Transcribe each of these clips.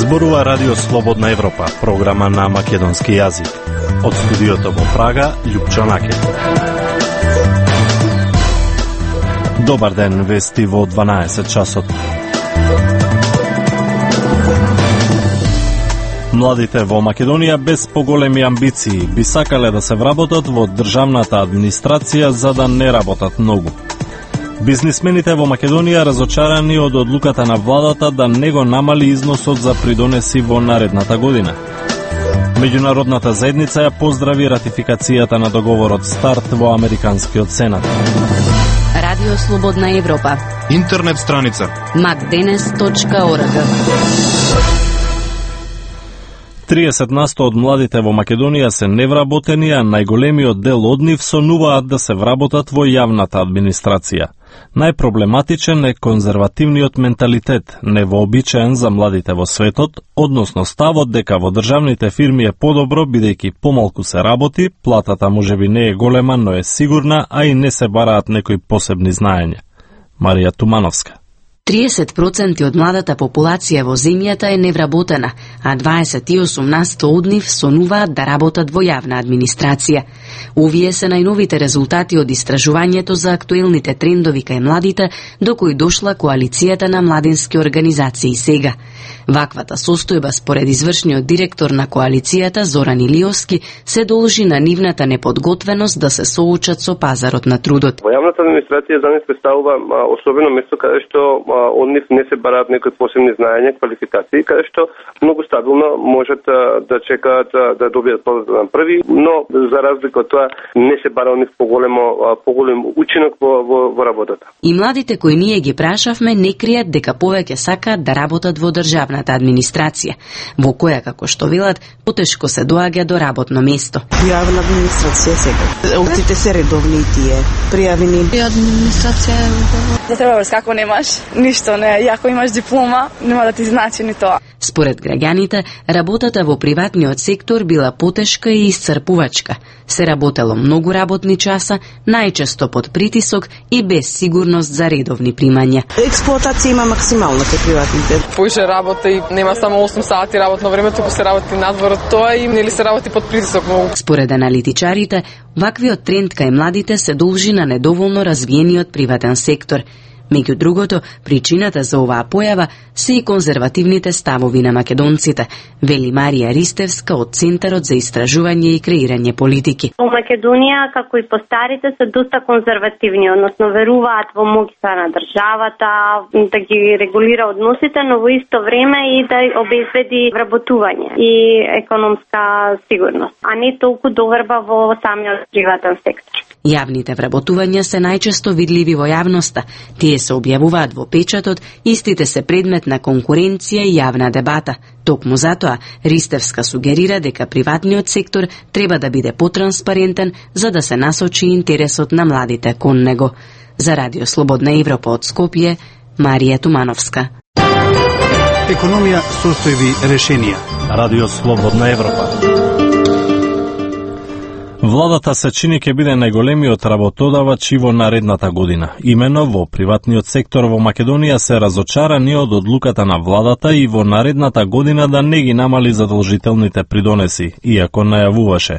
Зборува Радио Слободна Европа, програма на македонски јазик. Од студиото во Прага, Љупчо Накет. Добар ден, вести во 12 часот. Младите во Македонија без поголеми амбиции би сакале да се вработат во државната администрација за да не работат многу. Бизнисмените во Македонија разочарани од одлуката на владата да не го намали износот за придонеси во наредната година. Меѓународната заедница ја поздрави ратификацијата на договорот СТАРТ во Американскиот Сенат. Радио Слободна Европа. Интернет страница macdenes.org. 30% од младите во Македонија се невработени, а најголемиот дел од нив сонуваат да се вработат во јавната администрација. Најпроблематичен е конзервативниот менталитет, невообичаен за младите во светот, односно ставот дека во државните фирми е подобро бидејќи помалку се работи, платата можеби не е голема, но е сигурна, а и не се бараат некои посебни знаења. Марија Тумановска. 30% од младата популација во земјата е невработена, а 28% од нив сонуваат да работат во јавна администрација. Овие се најновите резултати од истражувањето за актуелните трендови кај младите, до кои дошла коалицијата на младински организации сега. Ваквата состојба, според извршниот директор на коалицијата Зоран Илиовски, се должи на нивната неподготвеност да се соочат со пазарот на трудот. Во јавната администрација за нив представува особено место каде што од нив не се бараат некои посебни знаења, квалификации, каде што многу стабилно можат да чекаат да добијат платата на први, но за разлика од тоа не се бара од нив поголем учинок во работата. И младите кои ние ги прашавме не кријат дека повеќе сакаат да работат во државната администрација, во која, како што велат, потешко се доаѓа до работно место. Јавна администрација сега. Овците се редовни и тие пријавени. Администрација да треба врз како немаш ништо, не, и ако имаш диплома, нема да ти значи ни тоа. Според граѓаните, работата во приватниот сектор била потешка и исцрпувачка. Се работело многу работни часа, најчесто под притисок и без сигурност за редовни примања. Експлоатација има максимална кај приватните. Поише работа и нема само 8 сати работно време, туку се работи надвор од тоа и нели се работи под притисок многу. Според аналитичарите, ваквиот тренд кај младите се должи на недоволно развиениот приватен сектор. Меѓу другото, причината за оваа појава се и конзервативните ставови на македонците, вели Марија Ристевска од Центарот за истражување и креирање политики. Во Македонија, како и по старите, се доста конзервативни, односно веруваат во моќта на државата, да ги регулира односите, но во исто време и да обезбеди вработување и економска сигурност, а не толку доверба во самиот приватен сектор. Јавните вработувања се најчесто видливи во јавноста. Тие се објавуваат во печатот, истите се предмет на конкуренција и јавна дебата. Токму затоа, Ристевска сугерира дека приватниот сектор треба да биде потранспарентен за да се насочи интересот на младите кон него. За Радио Слободна Европа од Скопје, Марија Тумановска. Економија, состојби, решенија. Радио Слободна Европа. Владата се чини ќе биде најголемиот работодавач и во наредната година. Имено во приватниот сектор во Македонија се разочарани од одлуката на владата и во наредната година да не ги намали задолжителните придонеси, иако најавуваше.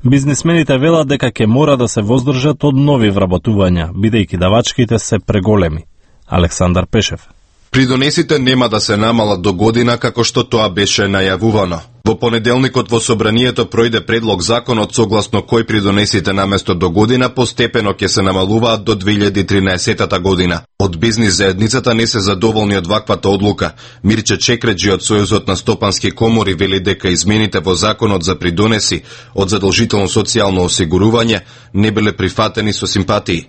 Бизнисмените велат дека ќе мора да се воздржат од нови вработувања, бидејќи давачките се преголеми. Александар Пешев. Придонесите нема да се намалат до година како што тоа беше најавувано. Во понеделникот во собранието пројде предлог законот согласно кој придонесите наместо до година постепено ќе се намалуваат до 2013 година. Од бизнис заедницата не се задоволни од ваквата одлука. Мирче Чекреджи од Сојузот на стопански комори вели дека измените во законот за придонеси од задолжително социјално осигурување не биле прифатени со симпатии.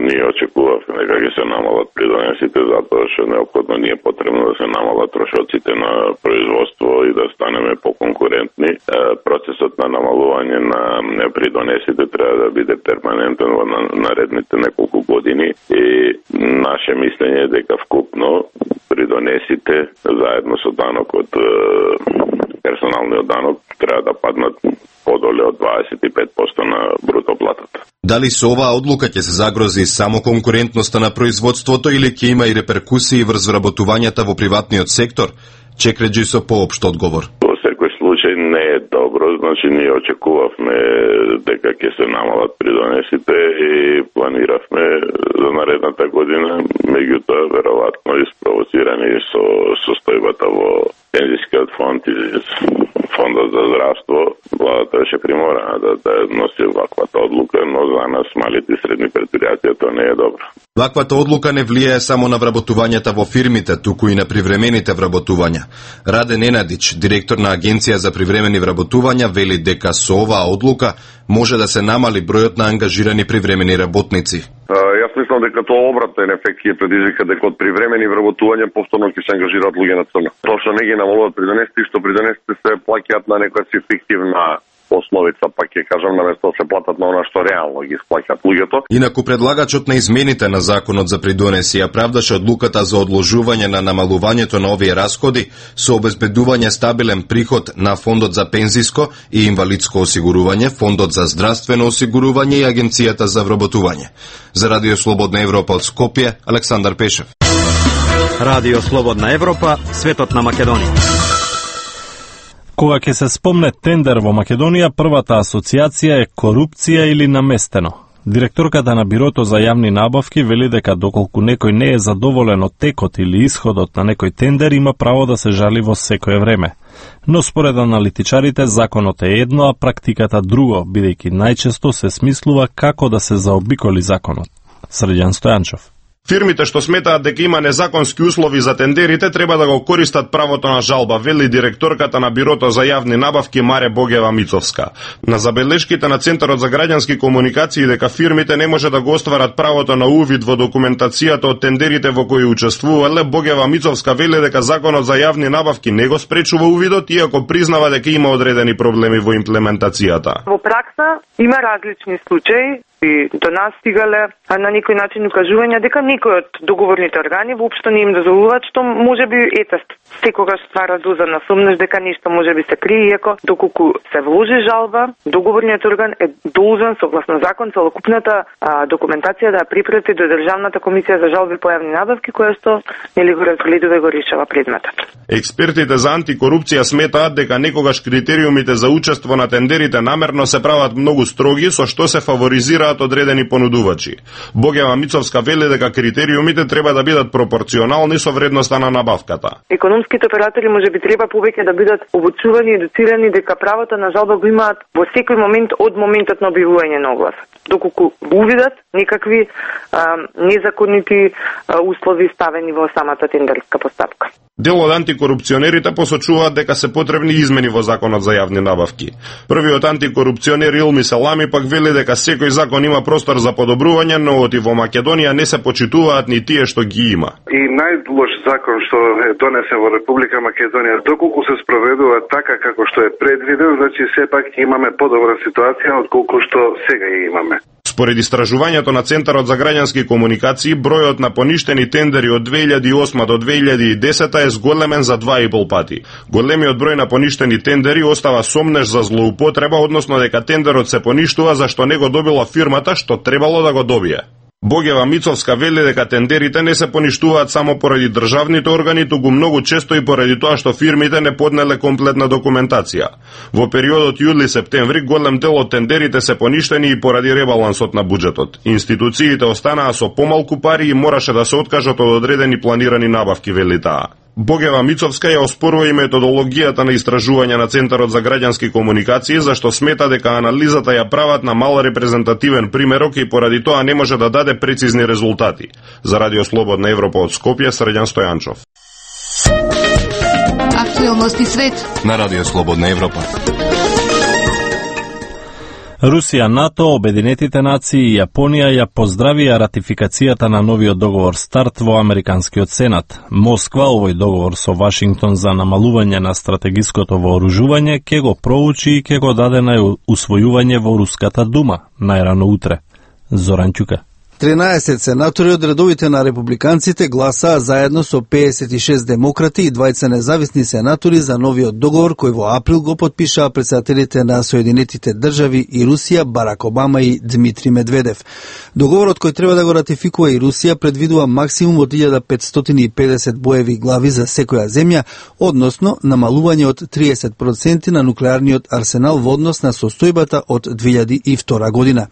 Ние очекувавме дека ќе се намалат придонесите затоа што неопходно ни е потребно да се намалат трошоците на производство и да станеме поконкурентни. Процесот на намалување на придонесите треба да биде перманентен во наредните неколку години и наше мислење е дека вкупно придонесите заедно со данокот, персоналниот данок, треба да паднат подоле од 25% на бруто платата. Дали со оваа одлука ќе се загрози само конкурентноста на производството или ќе има и реперкусии врз вработувањата во приватниот сектор? Чекреджи со поопшт одговор. Во секој случај не е добро, значи ние очекувавме дека ќе се намалат придонесите и планиравме за наредната година, меѓутоа веројатно испровоцирани со состојбата во пензискиот фонд и фондот за здравство, владата беше приморана да носи ваквата одлука, но за нас малите и средни предпријатија тоа не е добро. Ваквата одлука не влијае само на вработувањата во фирмите, туку и на привремените вработувања. Раде Ненадич, директор на Агенција за привремени вработувања, вели дека со оваа одлука може да се намали бројот на ангажирани привремени работници. Јас мислам дека тоа обратен ефект ќе предизвика дека од привремени вработувања повторно ќе се ангажираат луѓе на црно. Тоа што не ги намалуваат придонесите, што придонесите се плаќаат на некоја си фиктивна основица, пак ќе кажам, наместо да се платат на она што реално ги исплаќаат луѓето. Инаку предлагачот на измените на законот за придонеси ја правдаше одлуката за одложување на намалувањето на овие расходи со обезбедување стабилен приход на Фондот за пензиско и инвалидско осигурување, Фондот за здравствено осигурување и Агенцијата за вработување. За Радио Слободна Европа од Скопје, Александар Пешев. Радио Слободна Европа, светот на Македонија. Кога ќе се спомне тендер во Македонија, првата асоциација е корупција или наместено. Директорката на Бирото за јавни набавки вели дека доколку некој не е задоволен од текот или исходот на некој тендер, има право да се жали во секое време. Но според аналитичарите, законот е едно, а практиката друго, бидејќи најчесто се смислува како да се заобиколи законот. Срđan Стојанчов. Фирмите што сметаат дека има незаконски услови за тендерите треба да го користат правото на жалба, вели директорката на Бирото за јавни набавки Маре Богева Мицовска. На забелешките на Центарот за граѓански комуникации дека фирмите не може да го остварат правото на увид во документацијата од тендерите во кои учествувале, Богева Мицовска вели дека законот за јавни набавки не го спречува увидот, иако признава дека има одредени проблеми во имплементацијата. Во пракса има различни случаи и до нас стигале на некој начин укажувања дека некој од договорните органи воопшто не им дозволуваат, што може би секогаш ствара доза на сомнеш дека нешто може би се крие, иако доколку се вложи жалба, договорниот орган е должен согласно закон целокупната документација да ја препрати до Државната комисија за жалби по јавни набавки, која што нели го разгледува и го решава предметот. Експертите за антикорупција сметаат дека некогаш критериумите за учество на тендерите намерно се прават многу строги, со што се фаворизираат одредени понудувачи. Богева Мицовска вели дека критериумите треба да бидат пропорционални со вредноста на набавката. Економските оператори може би треба повеќе да бидат обучувани и едуцирани дека правото на жалба го имаат во секој момент од моментот на објавување на огласот. Доколку увидат некакви незаконити услови ставени во самата тендерска постапка. Дел од антикорупционерите посочуваат дека се потребни измени во законот за јавни набавки. Првиот антикорупционер Илми Салами пак вели дека секој закон има простор за подобрување, но оти во Македонија не се почитуваат ни тие што ги има. И најлош закон што е донесен во Република Македонија, доколку се спроведува така како што е предвиден, значи сепак имаме подобра ситуација отколку што сега ја имаме. Според истражувањето на Центарот за граѓански комуникации, бројот на поништени тендери од 2008 до 2010 е зголемен за 2,5 пати. Големиот број на поништени тендери остава сомнеш за злоупотреба, односно дека тендерот се поништува зашто не го добила фирмата што требало да го добие. Богева Мицовска вели дека тендерите не се поништуваат само поради државните органи, туку многу често и поради тоа што фирмите не поднеле комплетна документација. Во периодот јули-септември голем дел од тендерите се поништени и поради ребалансот на буџетот. Институциите останаа со помалку пари и мораше да се откажат од одредени планирани набавки, вели таа. Богева Мицовска ја оспорува и методологијата на истражување на Центарот за граѓански комуникации, зашто смета дека анализата ја прават на мал репрезентативен примерок и поради тоа не може да даде прецизни резултати. За Радио Слободна Европа од Скопје, Срđan Стојанчов. Актуелности свет на Радио Слободна Европа. Русија, НАТО, Обединетите нации и Јапонија ја поздравија ратификацијата на новиот договор СТАРТ во Американскиот Сенат. Москва овој договор со Вашингтон за намалување на стратегиското вооружување ќе го проучи и ќе го даде на усвојување во Руската дума најрано утре. Зоран Ќука. 13 сенатори од редовите на републиканците гласаа заедно со 56 демократи и 20 независни сенатори за новиот договор кој во април го потпишаа претседателите на Соединетите држави и Русија Барак Обама и Дмитри Медведев. Договорот кој треба да го ратификува и Русија предвидува максимум од 1550 боеви глави за секоја земја, односно намалување од 30% на нуклеарниот арсенал во однос на состојбата од 2002 година.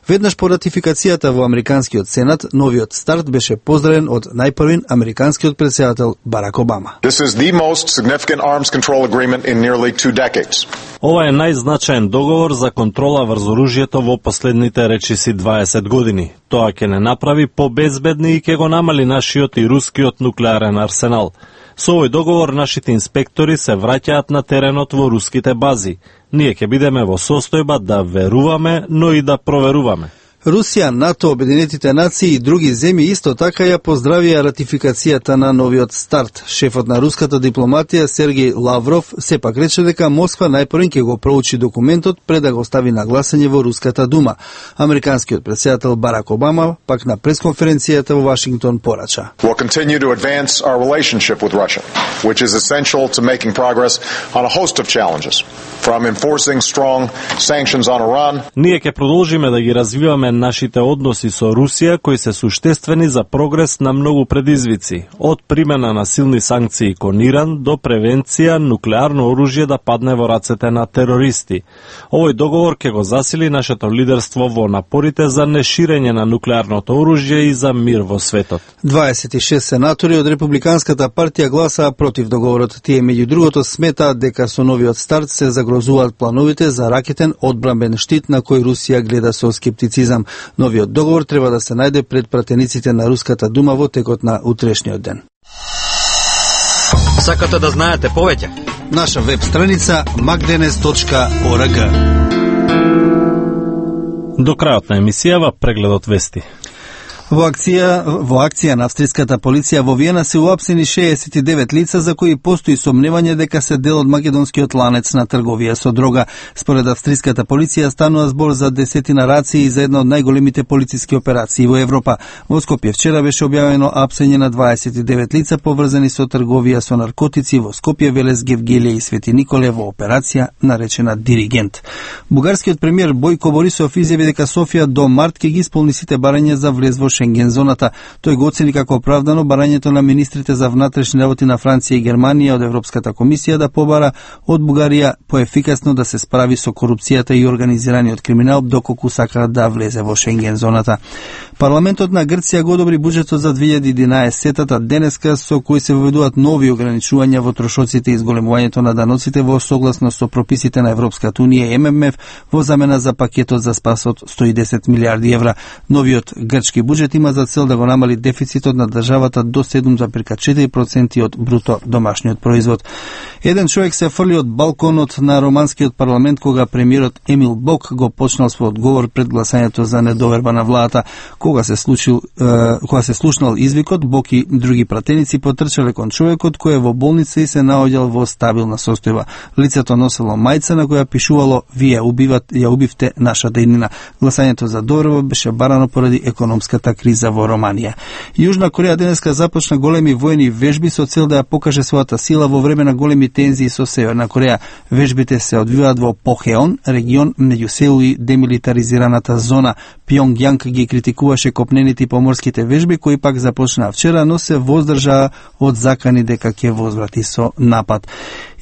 Веднаш по ратификацијата во Американскиот Сенат, новиот старт беше поздравен од најпрвин американскиот претседател Барак Обама. This is the most significant arms control agreement in nearly 2 decades. Ова е најзначаен договор за контрола врз оружјето во последните речиси 20 години. Тоа ќе не направи побезбедни и ќе го намали нашиот и рускиот нуклеарен арсенал. Со овој договор нашите инспектори се враќаат на теренот во руските бази. Ние ќе бидеме во состојба да веруваме, но и да проверуваме. Русија, НАТО, Обединетите нации и други земји исто така ја поздравија ратификацијата на новиот старт. Шефот на руската дипломатија Сергеј Лавров сепак рече дека Москва најпрвен ќе го проучи документот пред да го стави на гласање во Руската дума. Американскиот претседател Барак Обама пак на пресконференцијата во Вашингтон порача. We'll continue to advance our relationship with Russia, which is essential to making progress on a host of challenges, from enforcing strong sanctions on Iran. Ние ќе продолжиме да ги развиваме нашите односи со Русија, кои се суштествени за прогрес на многу предизвици, од примена на силни санкции кон Иран до превенција нуклеарно оружје да падне во рацете на терористи. Овој договор ќе го засили нашето лидерство во напорите за неширење на нуклеарното оружје и за мир во светот. 26 сенатори од Републиканската партија гласаа против договорот. Тие меѓу другото сметаат дека со новиот старт се загрозуваат плановите за ракетен одбранбен штит на кој Русија гледа со скептицизам. Новиот договор треба да се најде пред пратениците на Руската дума во текот на утрешниот ден. Сакате да знаете повеќе? Наша веб страница magdenes.org. До крајот на емисијава прегледот вести. Во акција на австриската полиција во Виена се уапсени 69 лица за кои постои сомневање дека се дел од македонскиот ланец на трговија со дрога. Според австриската полиција станува збор за десетина рации и за една од најголемите полициски операции во Европа. Во Скопје вчера беше објавено апсење на 29 лица поврзани со трговија со наркотици во Скопје, Велес, Гевгелија и Свети Николе во операција наречена Диригент. Бугарскиот премиер Бојко Борисов изјави дека Софија до март ќе ги исполни сите барања за влез во Шенген зоната. Тој го оцени како оправдано барањето на министрите за внатрешни работи на Франција и Германија од Европската комисија да побара од Бугарија поефикасно да се справи со корупцијата и организираниот криминал доколку сака да влезе во Шенген зоната. Парламентот на Грција го одобри буџетот за 2011-та денеска со кој се воведуваат нови ограничувања во трошоците и зголемувањето на даноците во согласно со прописите на Европската унија и ММФ во замена за пакетот за спас од 110 милиарди евра. Новиот грчки буџет има за цел да го намали дефицитот на државата до 7,4% од бруто домашниот производ. Еден човек се фрли од балконот на романскиот парламент кога премиерот Емил Бок го почнал својот говор пред гласањето за недоверба на владата. Кога се слушнал извикот, Бок и други пратеници потрчале кон човекот кој е во болница и се наоѓал во стабилна состојба. Лицето носело мајца на која пишувало "Вие ја убивте нашата иднина". Гласањето за доверба беше барано поради економската криза во Романија. Јужна Кореја денеска започна големи војни вежби со цел да ја покаже својата сила во време на големи тензии со Северна Кореја. Вежбите се одвиваат во Похеон, регион меѓу Сеул и демилитаризираната зона. Пјонгјанг ги критикуваше копнените и поморските вежби кои пак започнаа вчера, но се воздржаа од закани дека ќе возврати со напад.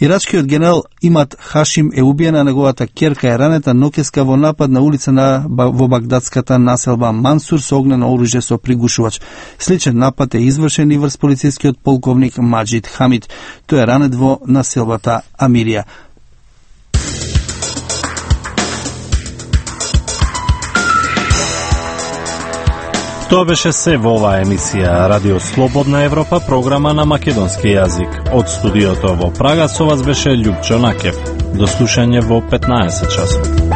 Ирачкиот генерал Имад Хашим е убиен, а неговата ќерка е ранета ноќеска во напад на улица во багдадската населба Мансур со огнено оружје со пригушувач. Сличен напад е извршен и врз полицискиот полковник Маджид Хамид. Тој е ранет во населбата Амирија. Тоа беше се во оваа емисија Радио Слободна Европа, програма на македонски јазик. Од студиото во Прага со вас беше Љупчо Накев. До слушање во 15 часот.